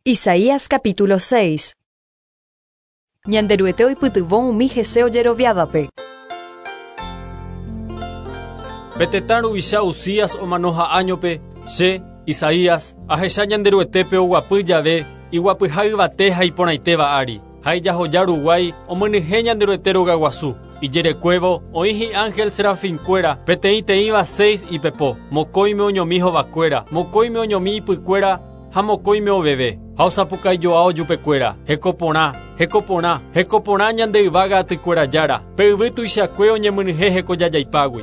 Isaías capítulo 6. Ñanderuete oipytyvõ umi hese ojeroviávape. Pe tetã ruvicha Uzías omanoha áñope, che, Isaías, ahecha Ñanderuetépe oguapy jave iguapyha yvate ha iporãitéva ári, ha ijahoja ruguái omyenyhẽ Ñanderuete rogaguasu. Ijerekuévo oĩ hi'ángel serafinkuéra, peteĩteĩva seis ipepo, mokõime oñomi hovakuéra, mokõime oñomi ipykuéra ha mokõime oveve, ha osapukaijoa ojupekuéra, Heko porã, heko porã, heko porã ñande yvága atykuéra Jára, pe yvy tuichakue oñemynyhẽ hekojajaipágui.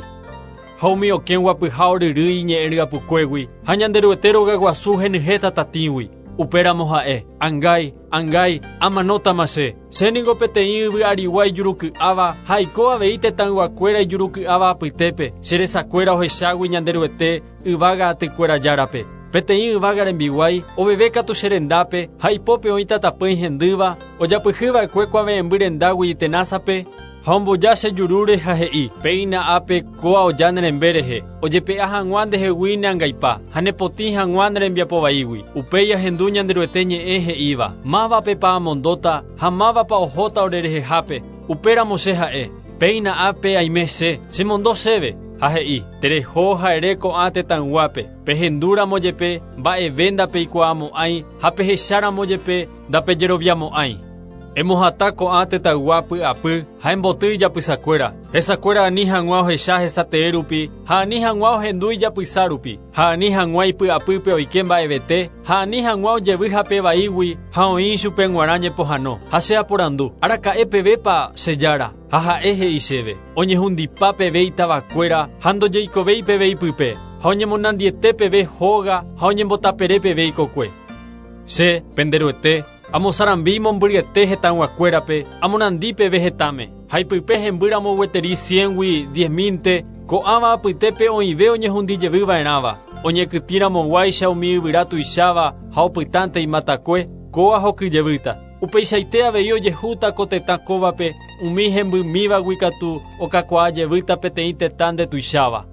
Ha umi okẽ guapyha oryrýi iñe'ẽ ryapukuégui, ha Ñanderuete rogaguasu henyhẽ tatatĩgui. Upéramo ha'e, Angái, angái, amanótama che. Che ningo peteĩ yvy arigua ijuruky'áva ha aiko avei tetãyguakuéra ijuruky'áva apytépe, che resakuéra ohechágui Ñanderuete yvága atykuéra Járape. Peteĩ yvága rembiguái oveve katu che rendápe ha ipópe oĩ tatapỹi hendýva, ojapyhy va'ekue kuave'ẽmby rendágui itenásape, ha omboja che jurúre ha he'i, Péina ápe kóa oja ne rembe rehe, ojepe'a hag̃ua ndehegui ne angaipa, ha ne potĩ hag̃ua ne rembiapo vaígui. Upéi ahendu Ñanderuete ñe'ẽ he'íva, Mávapepa amondóta ha mávapa ohóta orerehehápe? Upéramo che ha'e, Péina ápe aime che, chemondo chéve. Ha he'i, Tereho ha ere ko'ã tetãyguápe, Pehendúramo jepe, mba'eve ndapeikuaamo'ãi, ha pehecháramo jepe, ndapejeroviamo'ãi. Emohatã ko'ã tetãygua py'apy ha emboty ijapysakuéra, hesakuéra ani hag̃ua ohecha hesatee rupi ha ani hag̃ua ohendu ijapysa rupi, ha ani hag̃ua ipy'apýpe oike mba'evete, ha ani hag̃ua ojevy hape vaígui ha oĩ ichupe g̃uarã ñepohãno. Ha che aporandu, Araka'e pevépa, che Jára? Ha ha'e he'i chéve, Oñehundipa peve itavakuéra ha ndojeikovéi peve ipype, ha oñemonandiete peve hóga ha oñembotapere peve ikokue. Che, pende Ruete, amosarambi mombyryete hetãyguakuérape, amonandi peve hetãme, ha ipype hemby ramo gueteri ciéngui diezmínte, ko'ãva apytépe oĩve oñehundi jevy va'erãva, oñekytĩ ramoguáicha umi yvyra tuicháva ha opytánte imatakue, kóa hoky jevýta. Upeichaite avei ojehúta ko tetã kóvape, umi hembymívagui katu okakuaa jevýta peteĩ tetã ndetuicháva.